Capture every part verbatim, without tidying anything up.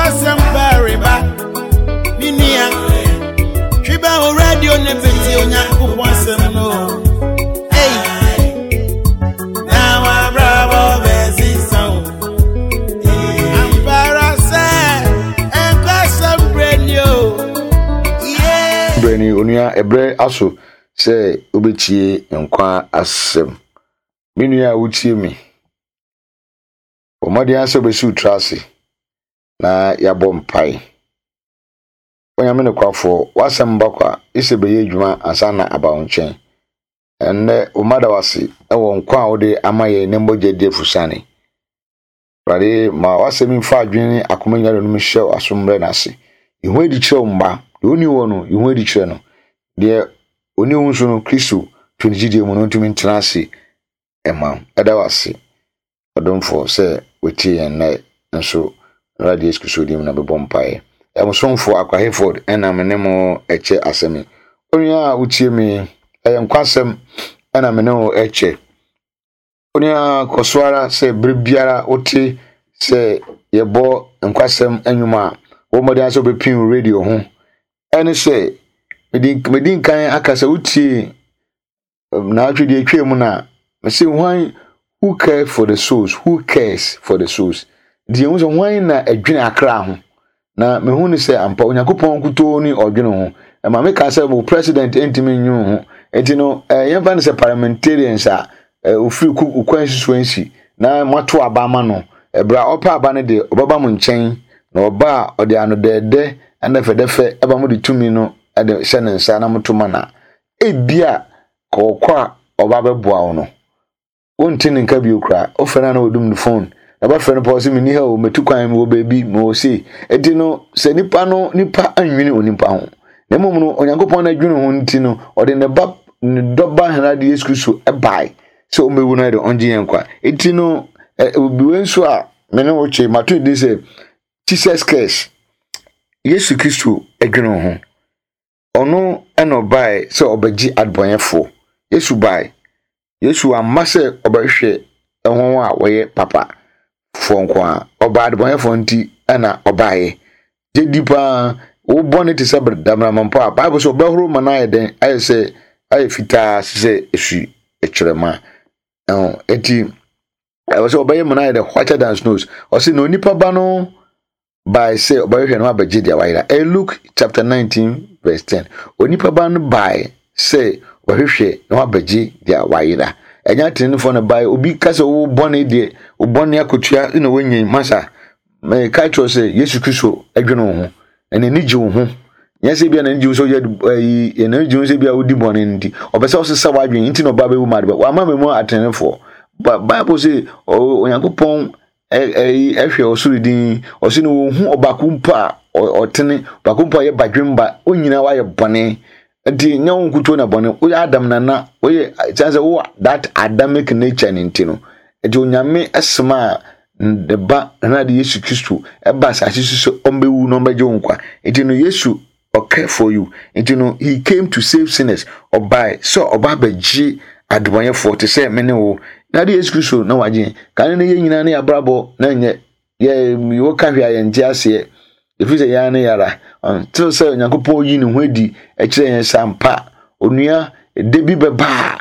Nkwasɛm pareba. Me nua, twi bɛ wo radio ne bɛtie Onyankopɔn asɛm no. Ei, na wabrabɔ bɛsesa wo. Ampara sɛ nkwasɛm berɛ ni o. Yeah. Berɛ ni, onua, ɛberɛ aso sɛ wobɛtie nkwa asɛm. Me nua a wotie me, bɔ mmɔden ara sɛ wobɛsi wo tiri ase na yɛabɔ mpae. Onyame nokwafoɔ, w'asɛm ba kwa, ɛsɛ bɛyɛ adwuma ansa na aba wo nkyɛn. Ɛnnɛ, wo mma da wo ase wɔ nkwa a wode ama yɛn ne mogya di afusane. Awurade, ma w'asɛm yi mfa adwene ne akoma nyinaa nom hyɛ w'aso mmerɛ n'ase. Yi ho adi kyerɛ wo mma. Deɛ ɔnni wɔ no, yi ho adi kyerɛ no. Deɛ ɔnni wo nso no, Kristo to ne gyidie mu no ntumi ntena ase ɛma wo. Ɛda wo ase, ɔdomfoɔ, sɛ wotie yɛn nnɛ nso. Awurade Yesu Kristo din mu na bɛbɔ mpaeɛ. Ɛmosomfoɔ Akwa Hayford ɛna me ne mo ɛkyɛ asɛm yi. Onua a wotie me, ɛyɛ nkwasɛm ɛna me ne wo ɛkyɛ. Onua, kɔ so ara sɛ bere biara wote sɛ yɛbɔ nkwasɛm nnwom a, wɔ mmɔden sɛ wobɛpin wo radio ho. Ɛne sɛ, medi nkan aka sɛ wotie naatwe deɛ etwa mu na mese hwan who cares for the souls, who cares for the souls. Deɛ ehu sɛ hwan na ɛdwene akra ho. Na mehu ne sɛ ampa Onyankopɔn nkutoo ne ɔdwene ho. Ɛma meka sɛ wo president ntumi nwene ho. Nti no, ɛɛ yɛmfa no sɛ parliamentarians a ofiri ku constituency na moato aba ama no. Ɛberɛ a ɔpɛ aba no deɛ, ɔbɛba mo nkyɛn na ɔba a, ɔde ano dɛɛdɛ ɛna fɛdɛfɛ ɛba mo de tumi no ɛde hyɛ ne nsa na moto ma na ebia kɔɔkɔ a ɔba bɛboa wo no, wonte ne nka bio koraa. Wofrɛ no a na wɔdum ne phone na bɛfrɛ no pɔ sɛ menni ha o, mɛtu kwan, mewɔ baabi, mewɔ sei. Enti no, sɛ nipa no, nipa anwene onipa ho, na mmom no Onyankopɔn no adwene ho nti no, ɔde ne ba, ne dɔba Awurade Yesu Kristo ɛbae sɛ ɔmmɛwu no ɛde ɔngye yɛn nkwa. Enti no, obi wei nso a me ne wo kye mato din sɛ Jesus Cares. Yesu Kristo adwene ho. Ɔno ɛna ɔbae sɛ ɔbɛgye adebɔnyɛfoɔ. Yesu bae. Yesu amma sɛ ɔbɛhwehwɛ ɛho a wɔyɛ papa foɔ nko a. Ɔbaa adebɔnyɛfoɔ nti ɛna ɔbaeɛ. Gye di paa, wo bɔne te sɛ damramampo a, Bible sɛ ɔbɛhoro ma no ayɛ dɛn? Ayɛ sɛ ayɛ fitaa sɛ esu ekyerɛma. Ɛho enti ɛwɔ sɛ ɔbɛyɛ ma no ayɛ dɛ whiter than snows. Ɔsɛ na onipa ba no bae sɛ ɔbɛhwehwɛ no abɛgye deɛ wayera. Ɛyɛ Luke chapter nineteen verse ten. Onipa ba no bae sɛ ɔbɛhwehwɛ na wabɛgye deɛ wayera. Ɛnyɛ atenenefoɔ na bae. Obi ka sɛ wo bɔne deɛ, wo bɔne akotua na wɔnyɛ masa. Mɛka kyerɛ sɛ Yesu Kristo adwene wo ho na n'ani gye wo ho. Nyɛ sɛ bia n'ani gye wo sɛ ɔyɛ ɛyi, n'ani gye wo sɛ bia wodi bɔne nti. Ɔpɛ sɛ ɔsesa w'adwene nti na ɔba bɛwu ma ade ba. Wama me mu atenenefoɔ. Bible sɛ Onyankopɔn ɛyi ɛhwɛ ɔsoro din. Ɔsɛ no wɔn hu ɔbaako mpo a ɔtene, ɔbaako mpo a ɔyɛ badwemba, wɔn nyinaa wayɛ bɔne. Nti nyɛ wɔn nkuto na bɔne. Woyɛ Adam nana, woyɛ kyɛn sɛ wowɔ that Adamic nature ne nti no. Nti Onyame ɛsoma a ne ba Awurade Yesu Kristo ɛba asase so sɛ ɔmbɛwu na ɔmbɛgye wo nkwa. Nti no Yesu ɔcare for you. Nti no he came to save sinners. Ɔbae sɛ ɔba abɛgye adebɔnyɛfoɔ te sɛ me ne wo. Na de Yesu Kristo na wagye. Kane no yɛn nyinaa ne yɛabrabɔ na nyɛ yɛ wɔka hwɛ a yɛnte aseɛ. Ɛfiri sɛ yɛn ne yɛara. Ɔnte sɛ Onyankopɔn yi ne ho adi ɛkyerɛ yɛn sɛ ampa onua ɛda bi bɛba a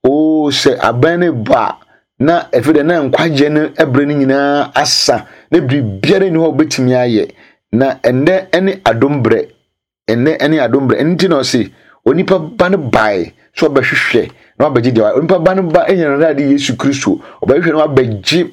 oo sɛ abɛn ne ba a na ɛfiri dɛ na nkwagyeɛ no ɛberɛ no nyinaa asa na biribiara nni hɔ a wobɛtumi ayɛ. Na ɛnnɛ ne adom berɛ. Ɛnnɛ ne adom berɛ. Ɛno nti na ɔse onipa ba no bae sɛ ɔbɛhwehwɛ na wabɛgye deɛ onipa ba no ba ɛnyɛ Awurade Yesu Kristo. Ɔbɛhwehwɛ na wabɛgye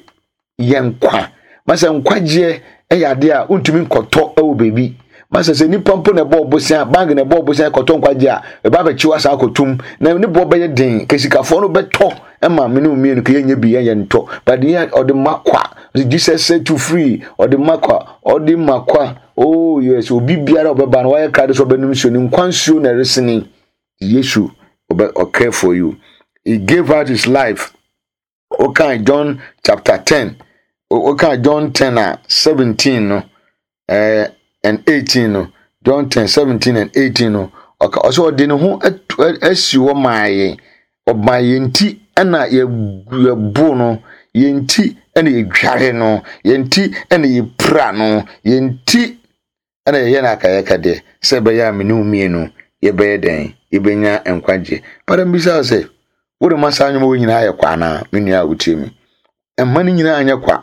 yɛn nkwa. Masa nkwagyeɛ ɛyɛ adeɛ a wontumi nkɔtɔ ɛwɔ baabi. Masa sɛ nipa mpo na ɛbɔ ɔbosia, bank na ɛbɔ ɔbosia kɔtɔ nkwagyeɛ a, ɛba abɛkye wo asan akɔtum. Na ne boɔ bɛyɛ den. Kesikafoɔ no bɛtɔ ɛma me ne mmienu ka yɛnyɛ bi yɛnyɛ ntɔ. But yɛ ɔde ma kwa. Jesus set you free. Ɔde ma kwa. Ɔde ma kwa. Oh yes, obi biara ɔbɛba no wayɛ krado sɛ ɔbɛnom nsuo ne nkwa nsuo na ɛresene. Yesu ɔbɛ ɔcare for you. He gave out his life. Okay, John chapter ten. Okay, John ten a seventeen no. Eh, and eighteen no. John ten seventeen and eighteen no. Ɔka ɔsɛ ɔde ne ho asi hɔ maa yɛn. Ɔmaa yɛn ti ɛna yɛbo no. Yɛn ti na yɛdware no, yɛn ti na yɛpira no, yɛn ti na yɛyɛ no akayɛkadeɛ sɛ ɛbɛyɛ a me ne wo mmienu yɛbɛyɛ dɛn? Yɛbɛnya nkwagye. But mbisa wo sɛ, wode ma saa nnwoma wɔ nyinaa yɛ kwa anaa? Me nua a wotie me. Mma no nyinaa nyɛ kwa.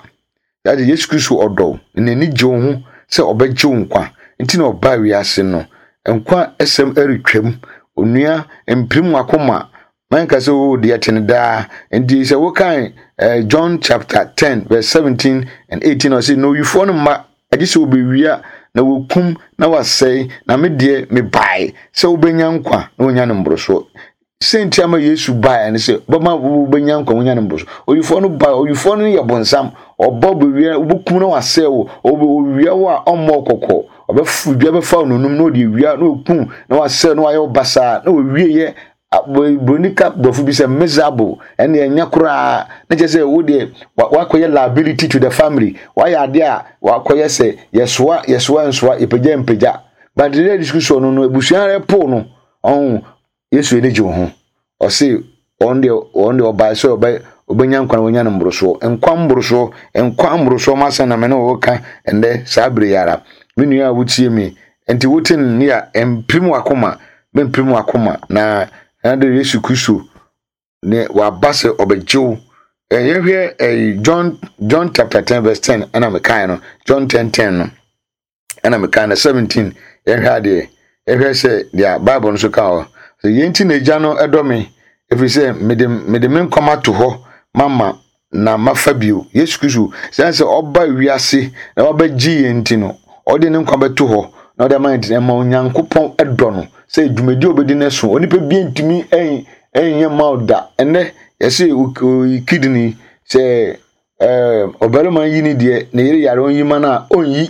Yɛagye Yesu Kristo ɔdɔ wo, na n'ani gye wo ho sɛ ɔbɛgye wo nkwa. Nti na ɔbaa wiase no. Nkwa asɛm retwam. Onua, mpirim w'akoma. Manka sɛ o deɛ te no daa. Nti sɛ wokan eh, John chapter ten verse seventeen and eighteen, ɔse na owifoɔ no mma agye sɛ wɔbɛwia na wɔkum na wasɛe, na me deɛ mebae sɛ wobɛnya nkwa na wonya no mborosoɔ. Sɛ ama Yesu baeɛ ne sɛ bɛma wobɛnya nkwa, wonya no mborosoɔ. Owifoɔ no bae, owifoɔ no yɛ bonsam. Ɔba bɛwia, wobɛkum na wasɛe wo. Owia wo a ɔmmɔ kɔkɔ. Ɔbɛfu dua bɛfa wo nonum na ɔde awia na ɔkum na wasɛe na wayɛ wo basaa na wɔwie. Broni ka borɔfo bi sɛ miserable, ɛne ɛnyɛ koraa na kyerɛ sɛ wo deɛ wakɔyɛ liability to the family. Wayɛ adeɛ a wakɔyɛ sɛ yɛsoa yɛsoa nsoa, yɛpagya mpagya. But the discussion no no abusua rɛ po no ɔho. Yesu ani gye wo ho. Ɔse ɔno deɛ ɔno deɛ ɔbae sɛ ɔbɛ ɔbɛnya nkwa na wɔnya no mborosoɔ. Nkwa mborosoɔ, nkwa mborosoɔ ma sɛ na me ne wo ka ɛndɛ saa bere yi ara. Me nua a wotie mi, nti wote ne a, mpirim wakoma, mpirim wakoma na na de Yesu Kristo ne waba sɛ ɔbɛgye wo. Yɛhwɛ ɛyi John John chapter ten verse ten ɛna mekae no, John ten ten no ɛna mekae no seventeen. Yɛhwɛ adeɛ, yɛhwɛ sɛ deɛ Bible no so ka hɔ sɛ yɛn ti na Agya no ɛdɔ me, ɛfiri sɛ mede mede me nkwa ato hɔ mama na mafa bio. Yesu Kristo sɛ sɛ ɔba wiase na wabɛgye yɛn nti no, ɔde ne nkwa bɛto hɔ na ɔde ama yɛn. Nti ɛma Onyankopɔn ɛdɔ no sɛ dwumadi a obɛdi no so onipa bi ntumi ɛnyɛ ma wo da. Ɛnɛ yɛsɛ kidney sɛ ɛɛ ɔbarima yi ni deɛ ne yere yare, ɔnyi ma no a ɔnyi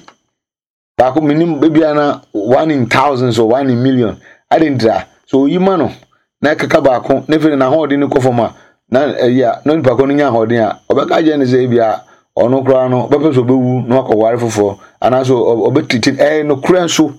baako. Minim ebia na one in thousands or one in million ade ntira so oyi ma no na ɛkeka baako na afei n'ahoɔden no kɔ fam a, na ɛyi a na nipa ko no nya ahoɔden a ɔbɛka kyerɛ no sɛ ebia ɔno koraa no ɔbɛpɛ sɛ ɔbɛwu na wakɔware foforɔ anaasɛ ɔbɛtiti. Ɛyɛ nokorɛ nso,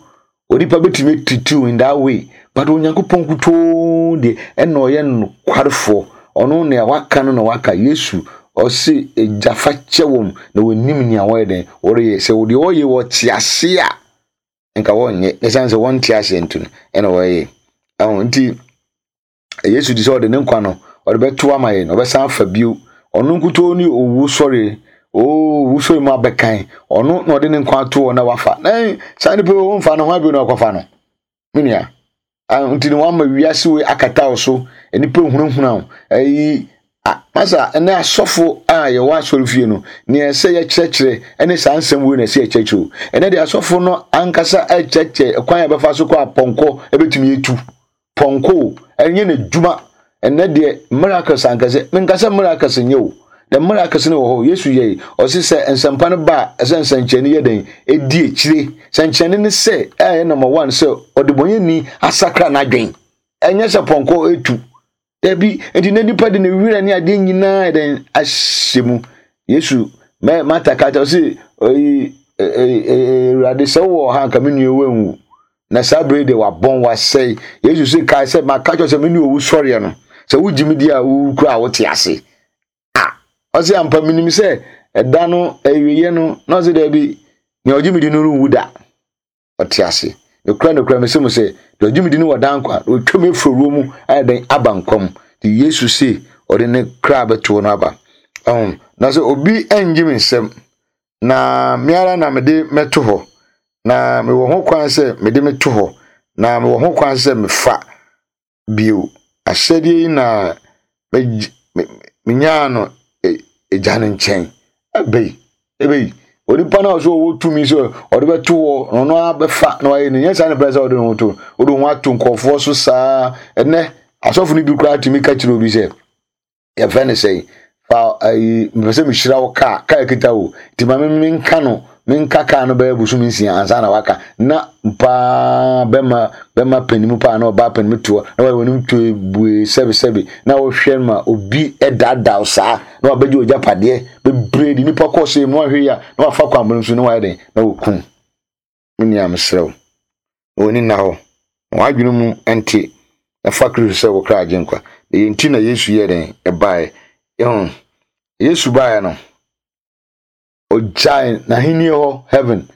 onipa bɛtumi atiti in that way, but Onyankopɔn kutoo deɛ ɛna ɔyɛ nokwarefoɔ. Ɔno nea waka no na waka. Yesu ɔse, "Agya, fa kyɛ wɔm na wɔnim nea wɔyɛ dɛn wɔreyɛ." Sɛ deɛ wɔyɛ wɔte ase a, nka wɔnyɛ. Ɛsiane sɛ wɔnte aseɛ nti no ɛna wɔyɛ ɛho. Nti Yesu di sɛ ɔde ne nkwa no ɔde bɛto ama yɛn, ɔbɛsan afa bio. Ɔno nkutoo ne owu sɔre oo owu sɔre mu abɛkan. Ɔno na ɔde ne nkwa ato hɔ na wafa na saa nipa yi wɔmfa ne ho abio na ɔkɔfa no. Me nua, nti ne wama wiase wei akata wo so, nipa hunahuna wo. Ɛyi masa ɛnɛ asɔfo a yɛwɔ asɔre fie no, nea ɛsɛ yɛkyerɛkyerɛ ɛne saa nsɛm wei na ɛsɛ yɛkyerɛkyerɛ o. Ɛnɛ deɛ asɔfo no ankasa ɛkyerɛkyerɛ kwan a yɛbɛfa so kɔ apɔnkɔ ɛbɛtumi etu pɔnkɔ o, ɛnyɛ n'adwuma. Ɛnɛ deɛ miracles ankasa, menkasa miracles nyɛ o. The miracles no wɔ hɔ. Yesu yɛ ɔsi sɛ nsɛmpa no ba a, ɛsɛ nsɛnkyerɛnne yɛ dɛn edi akyire. Sɛnkyerɛnne ne sɛ ɛyɛ number one sɛ ɔdebɔnyɛni asakra n'adwen, ɛnyɛ sɛ pɔnkɔ etu. Dabi. Nti na nipa de ne werɛ ne adeɛ nyinaa dɛn ahyɛ mu. Yesu mɛ Mata ka kyerɛ ɔsi ɔyi "Awurade, sɛ wowɔ ha nka me nua wanwu, na saa bere de wabɔn wasɛe." Yesu sɛ, "Kae sɛ maka kyerɛ sɛ me ne owu sɔreɛ no, sɛ wogye me di a, wowu kura a wote ase." A ɔsɛ ampa menim sɛ ɛda no awieɛ no. Na ɔsɛ daabi, nea ɔgye me di no renwu da, ɔte ase. Nokura nokura mesɛ mo sɛ deɛ ɔgye me di no wɔ dan nkwa na ɔtwa mu afiri owuo mu ayɛ dɛn aba nkwa mu. Nti Yesu se ɔde ne kra bɛto no aba ɔho. Na sɛ obi angye me nsɛm na me ara na mede mɛto hɔ, na mewɔ ho kwan sɛ mede me to hɔ, na mewɔ ho kwan sɛ mefa bio. Ahyɛdeɛ yi na menyaa no Agya no nkyɛn. Ɛbɛyi ɛbɛyi onipa no a ɔsɛ ɔwɔ tumi sɛ ɔde bɛto hɔ na ɔno abɛfa na wayɛ no nyɛ saa ne pɛ sɛ ɔde ne ho to, ɔde ho ato nkɔɔfoɔ so saa. Ɛnɛ asɔfo no bi koraa tumi ka kyerɛ obi sɛ yɛfrɛ no sɛn, fa ayi, mepɛ sɛ mehyira wo kaa kaa kita wo nti ma me menka no, menka kaa no bɛyɛ bosom nsia ansa na waka. Na paa bɛma bɛma panimu paa na ɔbaa panimu toɔ na wɔyɛ wɔn to bue sɛbesɛbe na wɔhwɛ ma obi ɛdaadaa saa na wabɛgye ogyapadeɛ bebree de nipa kɔɔ so mu. Ahwɛ yi a na wafa kwan bɔne so na wayɛ den na wɔkum. Me nua, mesrɛ wo na wɔni nna hɔ na wɔadwene mu nte na fa Kristo sɛ wo kra agye nkwa. Na yɛn ti na Yesu yɛ den ɛbaeɛ yɛho. Yesu baeɛ no, ɔgyae n'ahenni hɔ heaven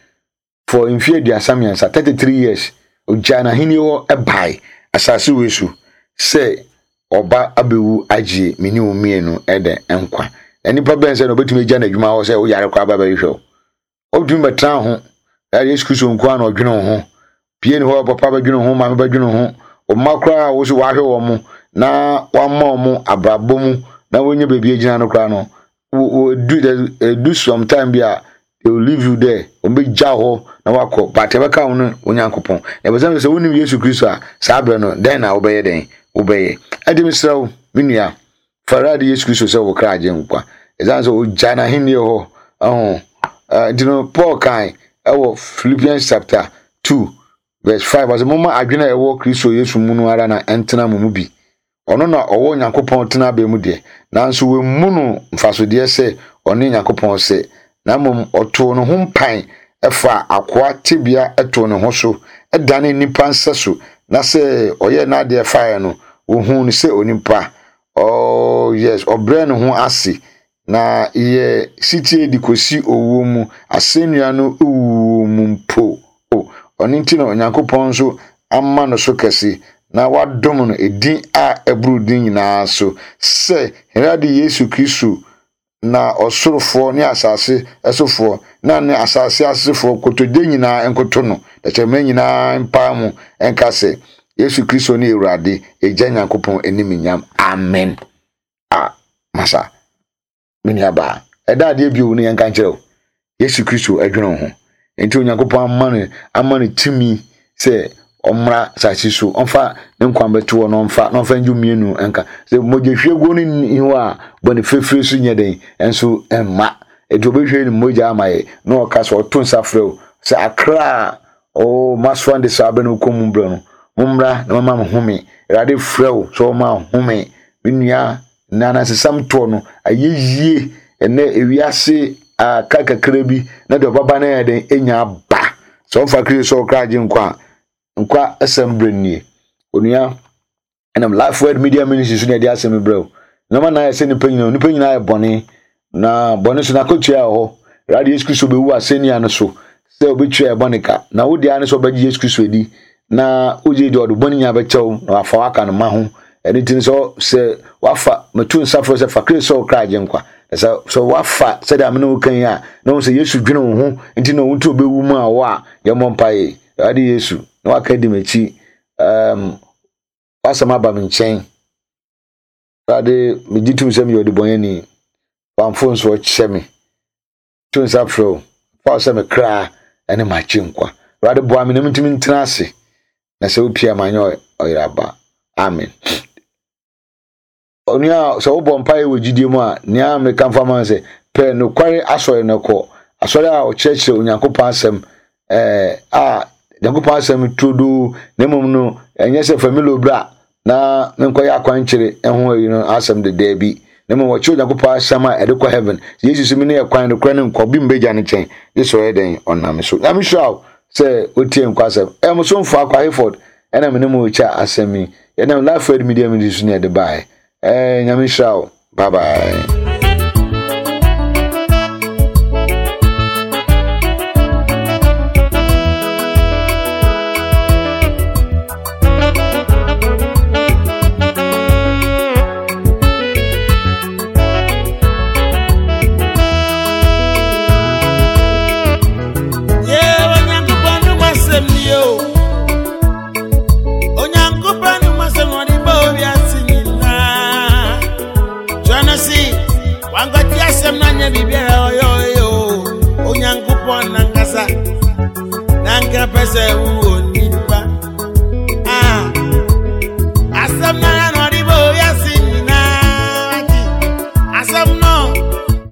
for mfeɛ aduasa mmiɛnsa, thirty-three years. Ɔgyae n'ahenni hɔ ɛbae asase wei so sɛ ɔba abɛwu agye me ne wo mmienu ɛdɛ nkwa. Na nipa bɛn sɛ na ɔbɛtumi agya n'adwuma hɔ sɛ woyare koraa ba bɛhwehwɛ wo. Ɔbɛtumi bɛtena ho. Yesu Kristo nko ara na ɔdwene wo ho. Pie ne hɔ, papa bɛdwene ho, maame bɛdwene ho. Ɔmma koraa a wo so wahwɛ wɔn mo na wama wɔn mo abrabɔ mu na wɔnyɛ baabi agyina no koraa no, wo do some time bi a they will leave you there. Wɔn bɛgya hɔ na wakɔ. But ɛbɛka wo no Onyankopɔn. Na ɛbɛsɛ sɛ wonim Yesu Kristo a, saa berɛ no, dɛn na wobɛyɛ dɛn? Wobɛyɛ. Ɛde mesrɛ wo, me nua, fa Awurade Yesu Kristo sɛ wo kra agye nkwa. Ɛsiane sɛ ɔgya n'ahenni hɔ. Ɛho. Nti no, Paul kan ɛwɔ Philippians chapter two verse five, ɔsɛ momma adwene a ɛwɔ Kristo Yesu mu no ara na ɛntena mo mu bi. Ɔno na ɔwɔ Nyankopɔn tenabea mu deɛ, nanso wammu no mfasodeɛ sɛ ɔne Nyankopɔn sɛ, na mmom ɔtoo ne ho mpan ɛfa akoa tebea ɛtoo ne ho so, ɛdane nnipa nsa so, na sɛ ɔyɛ n'adeɛ faeɛ no, ohuu no sɛ onipa. Oh yes, ɔbrɛ ne ho ase, na yɛ sitie de kɔsi owuo mu, asɛnnua no wuo mu mpo. O, ɔno nti na Onyankopɔn nso ama no so kɛse, na wadom no edin a ɛboro din nyinaa so, sɛ Awurade Yesu Kristo na ɔsorofoɔ ne asase ɛsofoɔ na ne asase asefoɔ kotodwe nyinaa nkoto no, dɛkyɛmma nyinaa mpaa mu nka sɛ Yesu Kristo ne Awurade, Agya Nyankopɔn animuonyam. Amen. A masa, me nua baa, ɛda adeɛ bio ne yɛnka nkyerɛ wo. Yesu Kristo adwene wo ho. Enti Onyankopɔn ama no ama no tumi sɛ ɔmmra asase so, ɔmfa ne nkwa bɛto hɔ na ɔmfa na ɔmfa ngye mmienu nka. Sɛ mogya hwieguo no nni hɔ a, bɔne fɛfɛ so nyɛ den nso mma. Enti obɛhwie ne mogya ama yɛ na ɔka sɛ ɔto nsa frɛ wo sɛ akra a o masoa de saa abɛ no kɔ mu brɛ no, mommra na mama mo home. Awurade frɛ wo sɛ ɔma home. Me nua, na anansesɛm toɔ no ayɛ yie ɛnɛ ewiase a ka kakra bi na deɛ ɔbaba no yɛ den enya aba. Sɛ ɔmfa Kristo sɛ ɔkra agye nkwa a, nkwa asɛm brɛ nie. Onua, ɛnam Life Word Media Ministry so na ɛde asɛm brɛ wo. Nneɛma na ayɛ sɛ nipa nyinaa, nipa nyinaa yɛ bɔne, na bɔne so n'akatua wɔ hɔ. Awurade Yesu Kristo bɛwu asɛnnua no so sɛ obɛtua yɛ bɔne ka, na wo deɛ ne sɛ ɔbɛgye Yesu Kristo adi, na wogye deɛ ɔde bɔne nyinaa bɛkyɛ wo na wafa waka no ma ho. Ɛno nti sɛ sɛ wafa meto nsa frɛ sɛ fa Kristo sɛ ɔkra agye nkwa. Sɛ sɛ wafa sɛdeɛ amene wo kan yi a, na wo sɛ Yesu dwene wo ho nti na wo nti obɛwu mu a wɔ a, yɛmmɔ mpaeɛ. Awurade Yesu, na waka di m'akyi, um, wasɛm aba me nkyɛn. Awurade, megye tom sɛ meyɛ ɔdebɔneyɛni. Wamfo nso ɔkyɛ me. To nsa frɛ wo, fa wo sɛ me kra ne m'agye nkwa. Awurade boa me na mentumi ntena ase, na sɛ wopia ma nyɛ ɔyeraba. Amen. Onua, sɛ wobɔ mpaeɛ wɔ gyidie mu a, nea meka mfa ma sɛ pɛ nokware asɔre no kɔ. Asɔre a ɔkyerɛkyerɛ Onyankopɔn asɛm, eh, a Nyankopɔn asɛm turodoo, na mmom no ɛnyɛ sɛ familo bra na menkɔyɛ akwankyere ho ayi no asɛm de daabi. Na mmom wɔkyerɛ Onyankopɔn asɛm a ɛde kɔ heaven. Yesu sɛ me ne ɛkwan nokorɛ ne nkwa, obi mbɛgya ne nkyɛn. Yesu ɔyɛ dɛn? Ɔnam so. Nyame hyira wo sɛ wotie nkwa asɛm. Ɛyɛ mo somfo Akwa Hayford ɛna me ne mo rekyɛ asɛm yi. Yɛnam Life Word Media Ministry so ne yɛde baeɛ. Eh, Nyame hyira wo. Bye bye. Onyankopɔn nankasa, nanka pɛ sɛ wo